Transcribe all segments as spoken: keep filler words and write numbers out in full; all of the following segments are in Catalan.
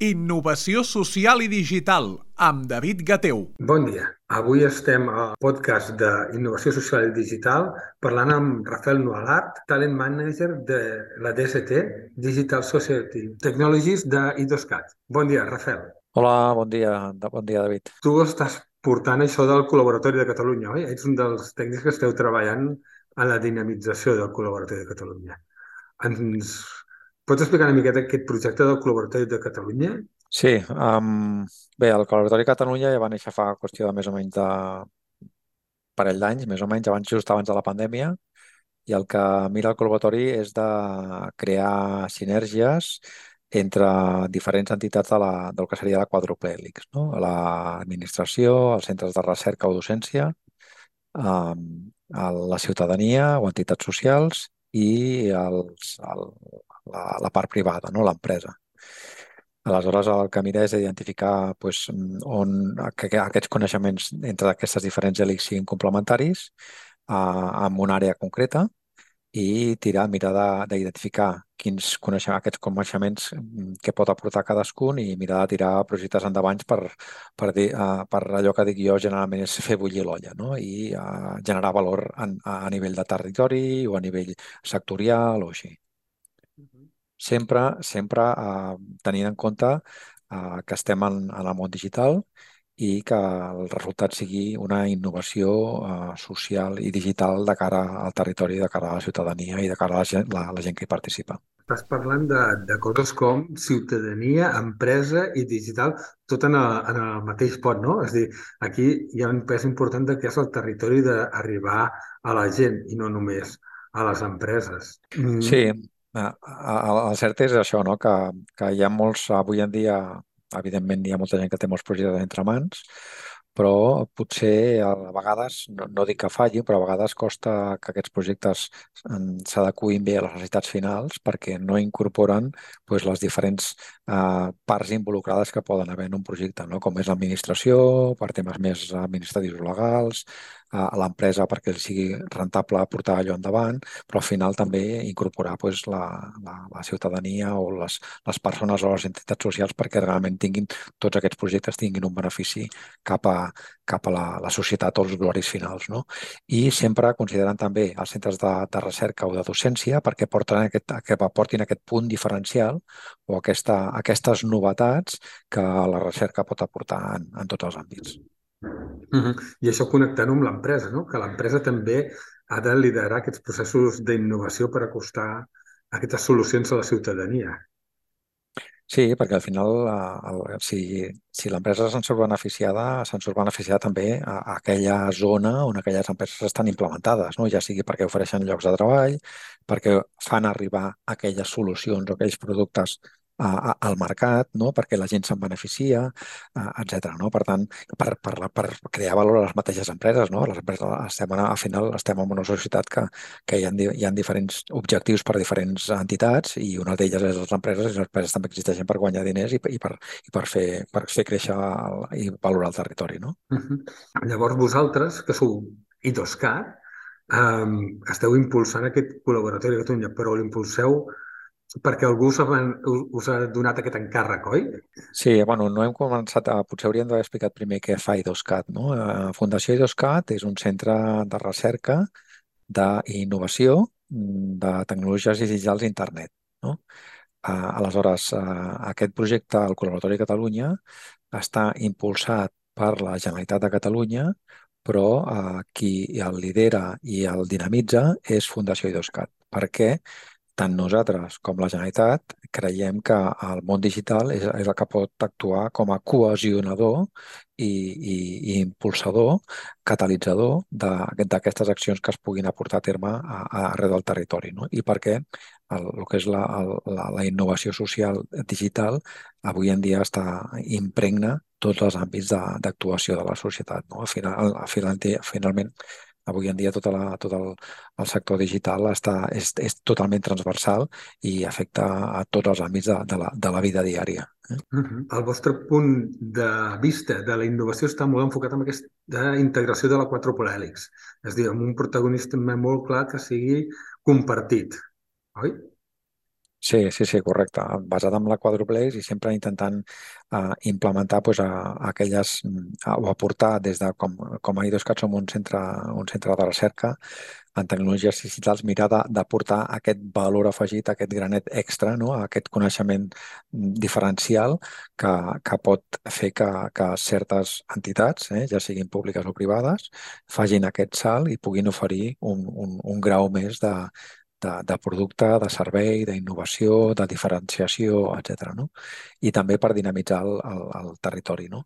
Innovació social i digital, amb David Gateu. Bon dia. Avui estem al podcast d'Innovació Social i Digital parlant amb Rafael Nualat, Talent Manager de la D S T, Digital Society Technologies de idoscat. Bon dia, Rafael. Hola, bon dia, bon dia, David. Tu estàs portant això del Col·laboratori de Catalunya, oi? Ets un dels tècnics que esteu treballant en la dinamització del Col·laboratori de Catalunya. Ens pots explicar una miqueta aquest projecte del Col·laboratori de Catalunya? Sí, um, bé, el Col·laboratori Catalunya ja va néixer fa qüestió de més o menys de parell d'anys, més o menys, abans, just abans de la pandèmia, i el que mira el Col·laboratori és de crear sinergies entre diferents entitats de la, del que seria la quàdruple hèlix, no? L'administració, els centres de recerca o docència, um, la ciutadania o entitats socials i els, el, la, la part privada, no? L'empresa. Aleshores, el que mira és identificar doncs, on que, que aquests coneixements entre aquestes diferents hèlixs siguin complementaris eh, en una àrea concreta i tirar, mirar de- d'identificar quins coneixements, aquests coneixements mm, que pot aportar cadascun i mirar de tirar projectes endavant per, per, dir, eh, per allò que dic jo generalment és fer bullir l'olla, no? I eh, generar valor en, a nivell de territori o a nivell sectorial o així. Sempre, sempre eh, tenint en compte eh, que estem en, en el món digital i que el resultat sigui una innovació eh, social i digital de cara al territori, de cara a la ciutadania i de cara a la gent, la, la gent que hi participa. Estàs parlant de, de coses com ciutadania, empresa i digital, tot en el, en el mateix pot, no? És a dir, aquí hi ha un pes important de que és el territori d'arribar a la gent i no només a les empreses. Sí, Mm. eh, el el cert és això, no? que, que hi ha molts, avui en dia, evidentment hi ha molta gent que té molts projectes entre mans, però potser a vegades, no, no dic que falli, però a vegades costa que aquests projectes em, s'adeqüin bé a les necessitats finals perquè no incorporen doncs, les diferents eh, parts involucrades que poden haver en un projecte, no? Com és l'administració, per temes més administratius o legals, a a l'empresa perquè li sigui rentable portar allò endavant, però al final també incorporar pues, la, la, la ciutadania o les, les persones o les entitats socials perquè realment tinguin tots aquests projectes tinguin un benefici cap a, cap a la, la societat o els usuaris finals. No? I sempre considerant també els centres de, de recerca o de docència perquè porten aquest, que aportin aquest punt diferencial o aquesta, aquestes novetats que la recerca pot aportar en, en tots els àmbits. Mhm. I això connectant-ho amb l'empresa, no? Que l'empresa també ha de liderar aquests processos d'innovació per acostar aquestes solucions a la ciutadania. Sí, perquè al final, eh, el, si, si l'empresa se'n surt beneficiada, se'n surt beneficiada també a, a aquella zona on aquelles empreses estan implementades, no? Ja sigui perquè ofereixen llocs de treball, perquè fan arribar aquelles solucions o aquells productes a, a, al mercat, no? Perquè la gent se'n beneficia, eh, etcètera. No? Per tant, per, per, la- per crear valor a les mateixes empreses, no? Les empreses estem, en- al final estem en una societat que, que hi ha, di- hi ha diferents objectius per a diferents entitats i una d'elles és les empreses i les empreses també existeixen per guanyar diners i, i, per, i per, fer, per fer créixer el, i valorar el territori. No? Mhm. Llavors vosaltres, que sou idoscat, um, esteu impulsant aquest col·laboratori de Catalunya, però l'impulseu perquè algú us ha, us ha donat aquest encàrrec, oi? Sí, bueno, no hem començat a... Potser hauríem d'haver explicat primer què fa idoscat. No? Eh, Fundació idoscat és un centre de recerca d'innovació mm, de tecnologies digitals d'internet. No? Uh, aleshores, uh, aquest projecte, el Col·laboratori Catalunya, està impulsat per la Generalitat de Catalunya, però uh, qui el lidera i el dinamitza és Fundació idoscat. Per què? Tant nosaltres com la Generalitat creiem que el món digital és, és el que pot actuar com a cohesionador i, i, i impulsador, catalitzador de- d'aquestes accions que es puguin aportar a terme a, a, arreu del territori. No? I perquè el, el que és la, el, la, la innovació social digital avui en dia està impregna tots els àmbits de- d'actuació de la societat. No? Al final, al final, finalment, avui en dia tota la, tot el, el sector digital està, és, és totalment transversal i afecta a tots els àmbits de, de, la, de la vida diària. Eh? Mhm. El vostre punt de vista de la innovació està molt enfocat en aquesta integració de la quàdruple hèlix, és a dir, amb un protagonista molt clar que sigui compartit, oi? Sí, sí, sí, correcte. Basat en la quadruplex i sempre intentant uh, implementar pues, a, a aquelles mm, a, o aportar des de com, com a IDOSCAT som un centre, un centre de recerca en tecnologies digitals, mirar de- d'aportar aquest valor afegit, aquest granet extra, no? Aquest coneixement mm, diferencial que, que pot fer que, que certes entitats, eh, ja siguin públiques o privades, facin aquest salt i puguin oferir un, un, un grau més de, de, de producte, de servei, d'innovació, de diferenciació, etcètera, no? I també per dinamitzar el, el, el territori, no?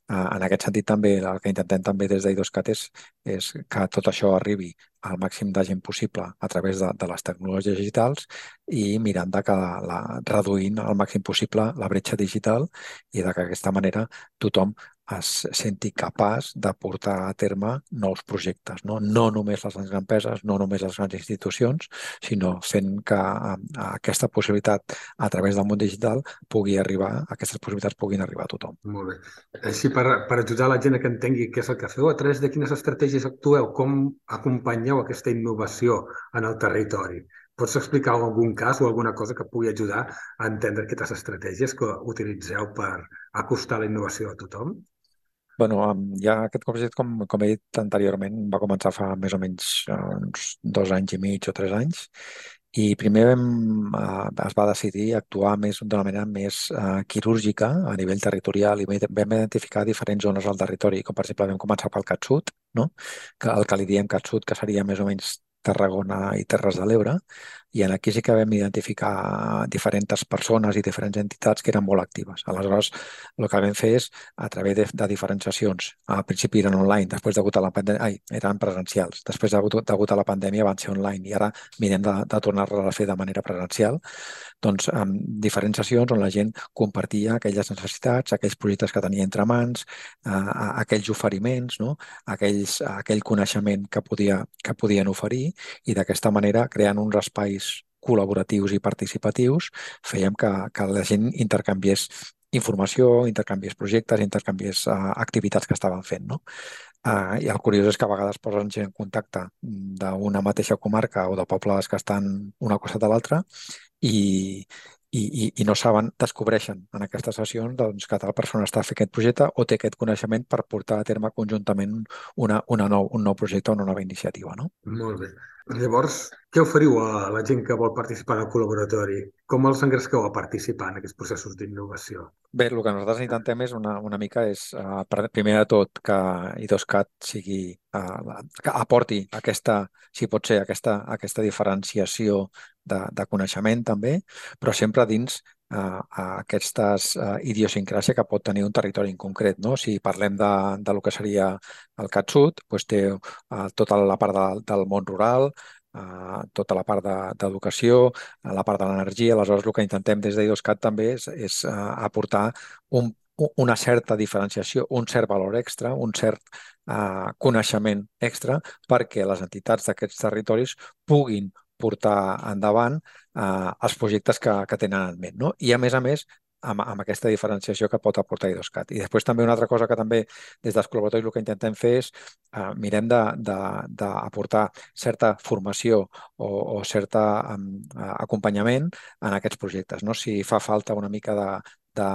Eh, En aquest sentit, també el que intentem també des d'IDOSCAT és, és que tot això arribi al màxim de gent possible a través de, de les tecnologies digitals i mirant de que la, la, reduint al màxim possible la bretxa digital i de que d'aquesta manera tothom es senti capaç de portar a terme nous projectes, no? No només les grans empreses, no només les grans institucions, sinó fent que eh, aquesta possibilitat a través del món digital pugui arribar, aquestes possibilitats puguin arribar a tothom. Molt bé. Així, per, per ajudar la gent a que entengui què és el que feu, a través de quines estratègies actueu, com acompanyeu aquesta innovació en el territori? Pots explicar algun cas o alguna cosa que pugui ajudar a entendre aquestes estratègies que utilitzeu per acostar la innovació a tothom? Bueno, em, ja aquest projecte, com, com he dit anteriorment, va començar fa més o menys eh, uns dos anys i mig o tres anys. I primer vam, eh, es va decidir actuar més d'una manera més eh, quirúrgica a nivell territorial i vam vam identificar diferents zones al territori, com per exemple vam començar pel Catsut, no? Que el que li diem Catsut, que seria més o menys Tarragona i Terres de l'Ebre, i en aquí sí que vam identificar diferents persones i diferents entitats que eren molt actives. Aleshores, el que vam fer és, a través de, de diferents sessions, al principi eren online, després degut a la pandèmia, ai, eren presencials, després degut, degut a la pandèmia van ser online i ara mirem de, de tornar-les a fer de manera presencial, doncs amb diferents sessions on la gent compartia aquelles necessitats, aquells projectes que tenia entre mans, eh, aquells oferiments, no? aquells, aquell coneixement que, podia, que podien oferir i d'aquesta manera, creant uns espais col·laboratius i participatius, fèiem que, que la gent intercanviés informació, intercanviés projectes, intercanviés uh, activitats que estaven fent, no? Uh, I el curiós és que a vegades posen gent en contacte d'una mateixa comarca o de pobles que estan una cosa de l'altra i, i, i, i no saben, descobreixen en aquestes sessions doncs, que tal persona està fent aquest projecte o té aquest coneixement per portar a terme conjuntament una, una nou, un nou projecte o una nova iniciativa, no? Molt bé. Llavors, què oferiu a la gent que vol participar en el col·laboratori? Com els engresqueu a participar en aquests processos d'innovació? Bé, el que nosaltres intentem és una, una mica és, uh, primer de tot, que IDOSCAT sigui, uh, que aporti aquesta, si pot ser, aquesta, aquesta diferenciació de, de coneixement també, però sempre dins uh, aquestes uh, idiosincràsia que pot tenir un territori en concret, no? Si parlem de, de lo que seria el CatSud, doncs té uh, tota la part de, del món rural, uh, tota la part d'educació, de, la part de l'energia. Aleshores, el que intentem des d'IDOSCAT també és, és uh, aportar un, una certa diferenciació, un cert valor extra, un cert uh, coneixement extra perquè les entitats d'aquests territoris puguin portar endavant uh, els projectes que, que tenen en ment, no? I a més a més, amb, amb aquesta diferenciació que pot aportar IDOSCAT. I després també una altra cosa que també des dels col·laboratoris el que intentem fer és uh, mirem d'aportar certa formació o, o cert um, acompanyament en aquests projectes, no? Si fa falta una mica de, de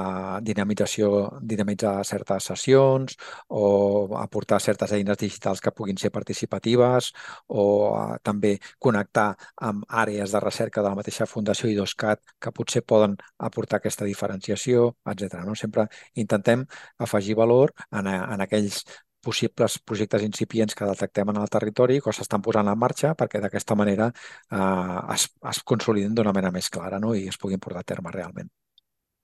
dinamització, dinamitzar certes sessions o aportar certes eines digitals que puguin ser participatives o uh, també connectar amb àrees de recerca de la mateixa Fundació IDOSCAT que potser poden aportar aquesta diferenciació, etcètera. No? Sempre intentem afegir valor en, en aquells possibles projectes incipients que detectem en el territori que s'estan posant en marxa perquè d'aquesta manera eh, es, es consoliden d'una manera més clara, no? I es puguin portar a terme realment.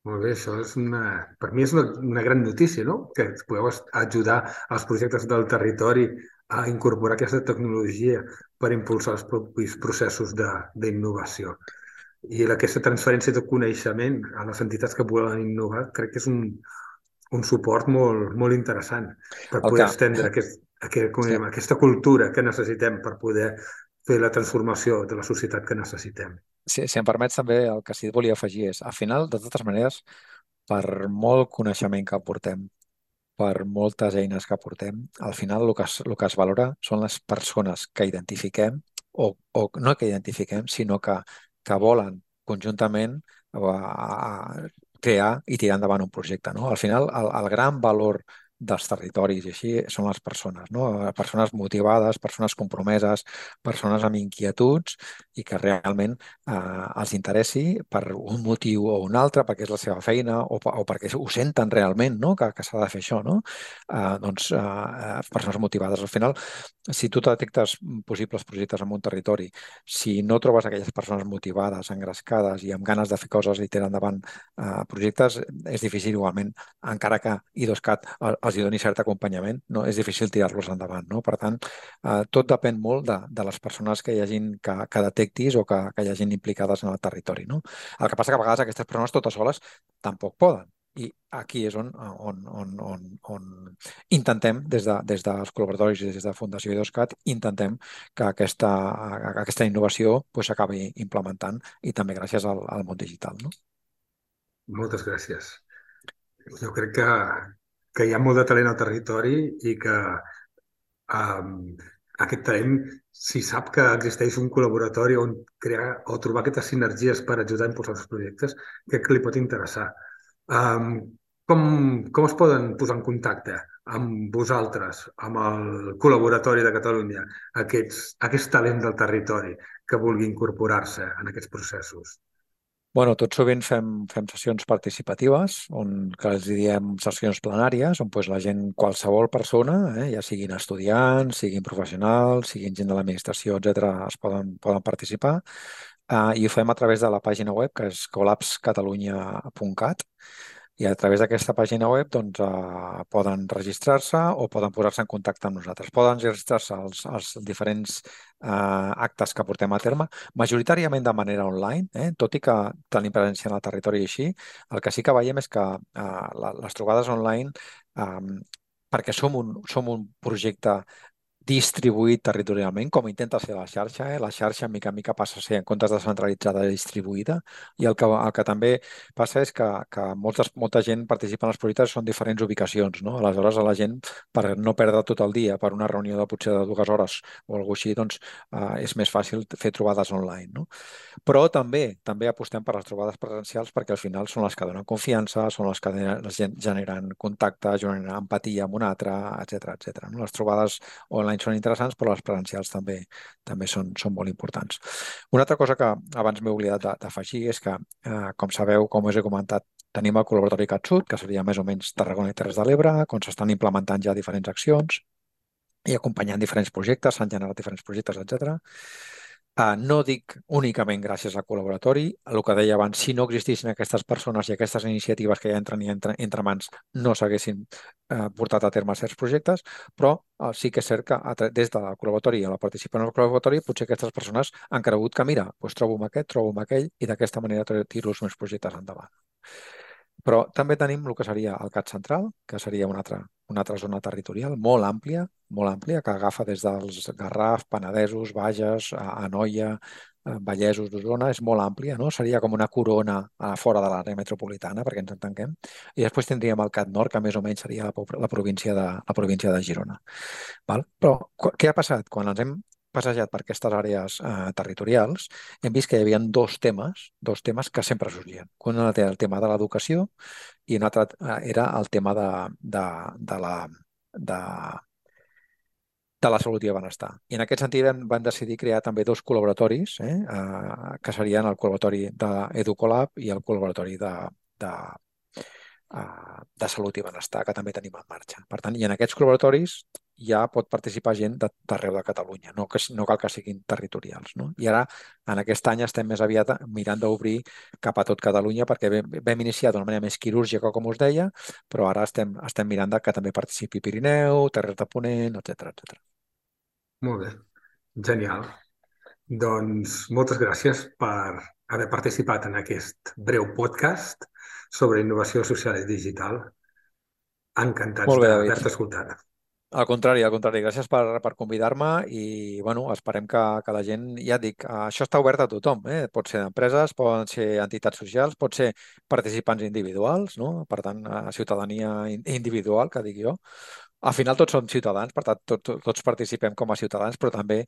Molt bé, això és una, per mi és una, una gran notícia, no? Que podeu est- ajudar als projectes del territori a incorporar aquesta tecnologia per impulsar els propis processos de- d'innovació. I aquesta transferència de coneixement a les entitats que volen innovar crec que és un, un suport molt, molt interessant per El poder que, estendre aquest, aquest, com sí, diem, aquesta cultura que necessitem per poder fer la transformació de la societat que necessitem. si, si em permets també el que sí que volia afegir és, al final, de totes maneres, per molt coneixement que aportem, per moltes eines que aportem, al final el que es, el que es valora són les persones que identifiquem o, o no que identifiquem, sinó que, que volen conjuntament a, a crear i tirar endavant un projecte, no? Al final, el, el gran valor dels territoris i així són les persones, no? Persones motivades, persones compromeses, persones amb inquietuds i que realment eh, els interessi per un motiu o un altre, perquè és la seva feina o, o perquè ho senten realment, no? Que, que s'ha de fer això, no? Eh, doncs eh, persones motivades. Al final, si tu detectes possibles projectes en un territori, si no trobes aquelles persones motivades, engrescades i amb ganes de fer coses i tirar endavant eh, projectes, és difícil igualment, encara que IDOSCAT els hi doni cert acompanyament, no? És difícil tirar-los endavant, no? Per tant, eh, tot depèn molt de, de les persones que hi hagin, que, que detectis o que, que hi hagin implicades en el territori, no? El que passa que a vegades aquestes persones totes soles tampoc poden. I aquí és on, on, on, on, on intentem, des, de, des dels col·laboratoris i des de Fundació IDOSCAT, intentem que aquesta, aquesta innovació pues, s'acabi implementant i també gràcies al, al món digital, no? Moltes gràcies. Jo crec que, que hi ha molt de talent al territori i que um, aquest talent, si sap que existeix un col·laboratori on crear o trobar aquestes sinergies per ajudar a impulsar els projectes, crec que li pot interessar. Um, com, com es poden posar en contacte amb vosaltres, amb el col·laboratori de Catalunya, aquests, aquest talent del territori que vulgui incorporar-se en aquests processos? Bueno, tot sovint fem, fem sessions participatives, on que els diem sessions plenàries, on pues, la gent, qualsevol persona, eh, ja siguin estudiants, siguin professionals, siguin gent de l'administració, etcètera, es poden, poden participar. Uh, I ho fem a través de la pàgina web, que és collapse catalunya punt cat, i a través d'aquesta pàgina web doncs, eh, poden registrar-se o poden posar-se en contacte amb nosaltres. Poden registrar-se als, als diferents eh, actes que portem a terme, majoritàriament de manera online, eh? Tot i que tenim presència en el territori i així. El que sí que veiem és que eh, la, les trobades online, eh, perquè som un, som un projecte distribuït territorialment, com intenta ser la xarxa. Eh? La xarxa, mica en mica, passa a ser, en comptes de centralitzada, distribuïda. I el que, el que també passa és que, que moltes, molta gent participa en els projectes, són diferents ubicacions, no? Aleshores, a la gent, per no perdre tot el dia per una reunió de potser de dues hores o alguna així, doncs eh, és més fàcil fer trobades online, no? Però també també apostem per les trobades presencials perquè al final són les que donen confiança, són les que generen contacte, generen empatia amb un altre, etcètera, etcètera. No? Les trobades online són interessants, però les presencials també també són, són molt importants. Una altra cosa que abans m'he oblidat d'afegir és que, eh, com sabeu, com us he comentat, tenim el col·laboratori CatSud, que seria més o menys Tarragona i Terres de l'Ebre, on s'estan implementant ja diferents accions i acompanyant diferents projectes, s'han generat diferents projectes, etcètera. Uh, no dic únicament gràcies al col·laboratori, el que deia abans, si no existissin aquestes persones i aquestes iniciatives que ja entren i entre, entre mans no s'haguessin uh, portat a terme certs projectes, però uh, sí que és cert que a, des del col·laboratori i a la participació en el col·laboratori potser aquestes persones han cregut que mira, doncs trobo amb aquest, trobo amb aquell i d'aquesta manera tiro els meus projectes endavant. Però també tenim el que seria el CAT central, que seria una altra, una altra zona territorial molt àmplia, molt àmplia, que agafa des dels Garraf, Penedesos, Bages, Anoia, Vallesos d'Osona, és molt àmplia, no? Seria com una corona a fora de l'àrea metropolitana, perquè ens entenguem. I després tindríem el CAT Nord, que més o menys seria la, la, província, de, la província de Girona. Val? Però què ha passat? Quan ens hem passejat per aquestes àrees eh, territorials, hem vist que hi havia dos temes, dos temes que sempre sorgien. Un era el tema de l'educació i un altre eh, era el tema de, de, de la... De, de la salut i el benestar. I en aquest sentit van, van decidir crear també dos col·laboratoris, eh, eh, que serien el col·laboratori d'Educolab i el col·laboratori de, de, eh, de salut i benestar, que també tenim en marxa. Per tant, i en aquests col·laboratoris ja pot participar gent d'arreu de Catalunya, no, que, no cal que siguin territorials. No? I ara, en aquest any, estem més aviat mirant d'obrir cap a tot Catalunya, perquè vam, vam iniciar d'una manera més quirúrgica, com us deia, però ara estem, estem mirant de que també participi Pirineu, Terres de Ponent, etcètera, etcètera. Molt bé, genial. Doncs moltes gràcies per haver participat en aquest breu podcast sobre innovació social i digital. Encantats d'haver-te escoltat. Al contrari, al contrari. Gràcies per, per convidar-me i bueno, esperem que, que la gent, ja et dic, això està obert a tothom. Eh? Pot ser empreses, poden ser entitats socials, pot ser participants individuals, no? Per tant, ciutadania individual, que dic jo. Al final tots som ciutadans, per tant, tots, tots participem com a ciutadans, però també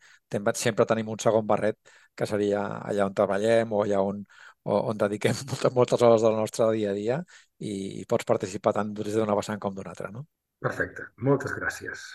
sempre tenim un segon barret, que seria allà on treballem o allà on, on dediquem moltes, moltes hores del nostre dia a dia i, i pots participar tant des d'una vessant com d'una altra, no? Perfecte. Moltes gràcies.